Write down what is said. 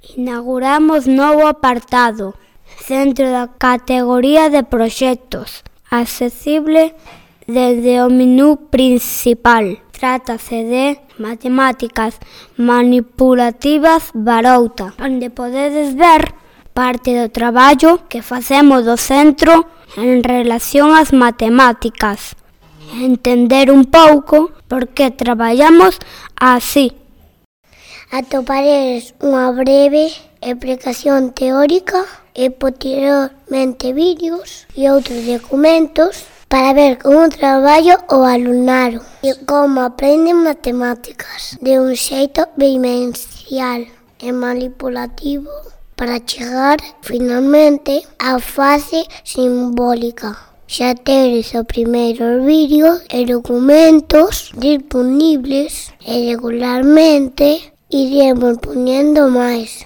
Inauguramos novo apartado, centro da categoría de proxectos, accesible desde o menú principal. Trátase de Matemáticas Manipulativas Barouta, onde podedes ver parte do traballo que facemos do centro en relación ás matemáticas. Entender un pouco por que traballamos así. Atoparedes unha breve explicación teórica e posteriormente vídeos e outros documentos para ver como traballo o alumnado e como aprenden matemáticas de un xeito vivencial e manipulativo para chegar finalmente á fase simbólica. Xa tedes os primeiros vídeos e documentos disponibles e regularmente iremos poñendo máis.